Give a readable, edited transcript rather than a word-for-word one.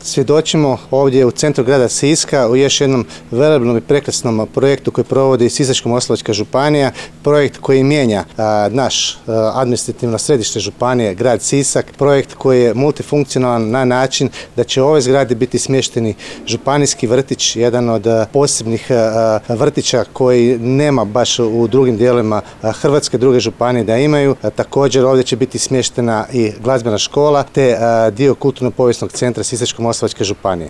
Svjedočimo ovdje u centru grada Siska u još jednom velebnom i prekrasnom projektu koji provodi Sisačko-moslavačka županija, projekt koji mijenja naš administrativno središte županije, grad Sisak, projekt koji je multifunkcionalan na način da će u ovoj zgradi biti smješteni županijski vrtić, jedan od posebnih vrtića koji nema baš u drugim dijelovima Hrvatske, druge županije da imaju. Također ovdje će biti smještena i glazbena škola te dio kulturno-povijesnog centra Sisačko-moslavačke županije.